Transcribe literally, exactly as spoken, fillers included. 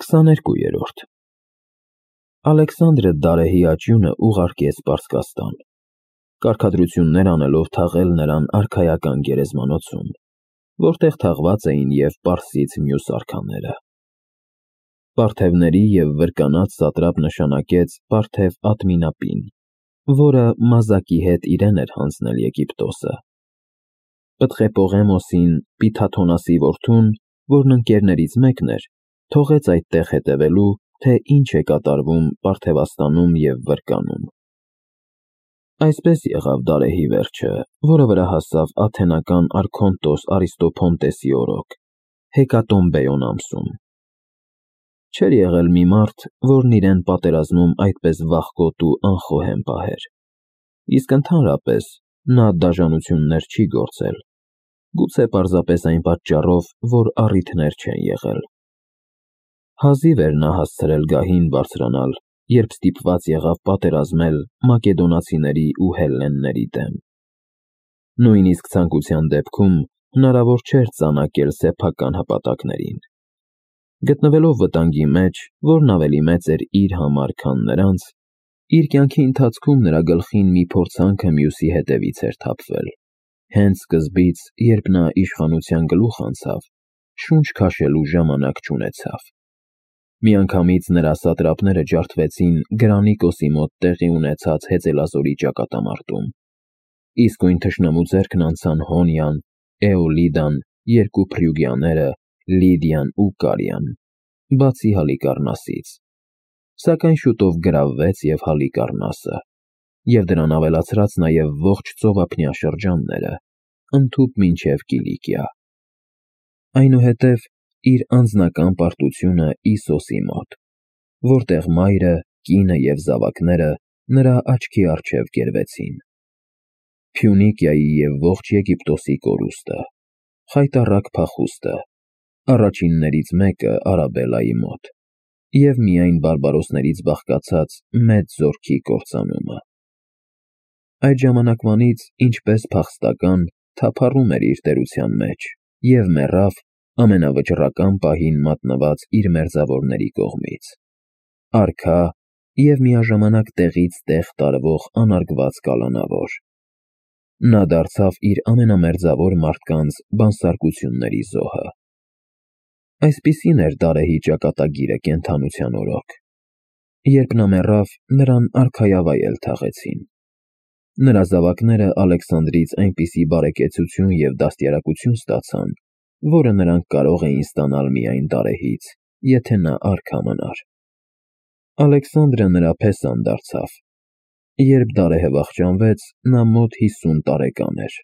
քսաներկուերորդ Ալեքսանդրը Դարեհի աճյունը ուղարկեց Պարսկաստան, կարգադրություններ անելով թաղել նրան արքայական գերեզմանոցում, որտեղ թաղված էին և Պարսից մյուս արքաները։ Պարթևների և վրկանած սատրապ նշանակեց Պարթև Ատմինապին, որը մազակի հետ իրեն էր հանձնել Եգիպտոսը։ Պտղեպողեմոսին Պիթաթոնասի որդուն, որն ընկերներից մեկն էր, թողեց այդտեղ հետևելու, թե ինչ է կատարվում Պարթևաստանում և Վրկանում։ Այսպես եղավ Դարեհի վերջը, որը վրա հասավ աթենական արքոնտոս Արիստոփոնտեսի օրոք, Հեկատոմբեոն ամսում։ Չէր եղել մի մարդ, որն իրեն պատերազմում այդպես վախկոտ ու անխոհեմ պահեր, իսկ ընդհանրապես նա դաժանություններ չի գործել, գուցե պարզապես այն պատճառով, որ առիթներ չեն եղել։ Հազիվ էր նա հասցրել գահին բարձրանալ, երբ ստիպված եղավ պատերազմել մակեդոնացիների ու հելլենների դեմ։ Նույնիսկ ցանկության դեպքում հնարավոր չէր ծանակել սեփական հպատակներին։ Գտնվելով վտանգի մեջ, որն ավելի մեծ էր իր համար, քան նրանց, իր կյանքի ընթացքում նրա գլխին մի փորձանքը մյուսի հետևից էր թափվել։ Հենց սկզբից, երբ նա իշխանության գլուխ անցավ, շունչ քաշելու ժամանակ չունեցավ։ Միանգամից նրա սատրապները ջարդվեցին Գրանիկոսի մոտ տեղի ունեցած հեծելազորի ճակատամարտում, իսկույն թշնամու ձեռքն անցան Հոնիան, Էոլիդան, երկու փրյուգիաները, Լիդիան ու Կարիան, բացի Հալիկառնասից, սակայն շուտով գրավվեց և Հալիկառնասը, և դրան ավելացրած նաև ողջ ծովափնյա շրջանները, ընդհուպ մինչև Կիլիկիա։ Այնուհետև իր անձնական պարտությունը Իսոսի մոտ, որտեղ մայրը, կինը և զավակները նրա աչքի առջև կերվեցին։ Փյունիկիայի և ողջ Եգիպտոսի կորուստը, խայտառակ փախուստը, առաջիններից մեկը Արաբելայի մոտ, և միայն բարբարոսներից բաղկացած մեծ զորքի կործանումը։ Այդ ժամանակվանից, ինչպես փախստական, թափառում էր իր տերության մեջ և մեռավ ամենավճռական պահին մատնված իր մերձավորների կողմից, արքա և միաժամանակ տեղից տեղ տարվող անարգված կալանավոր։ Նա դարձավ իր ամենամերձավոր մարդկանց բանսարկությունների զոհը։ Այսպիսին էր Դարեհի ճակատագիրը կենդանության օրոք։ Երբ նա մեռավ, նրան արքայավայել թաղեցին։ Նրա զավակները Ալեքսանդրից այնպիսի բարեկեցություն և դաստիարակություն ստացան, որը նրանք կարող էին ստանալ միայն Դարեհից, եթե նա արքա մնար։ Ալեքսանդրը նրա փեսան դարձավ։ Երբ Դարեհը վախճանվեց, նա մոտ հիսուն տարեկան էր։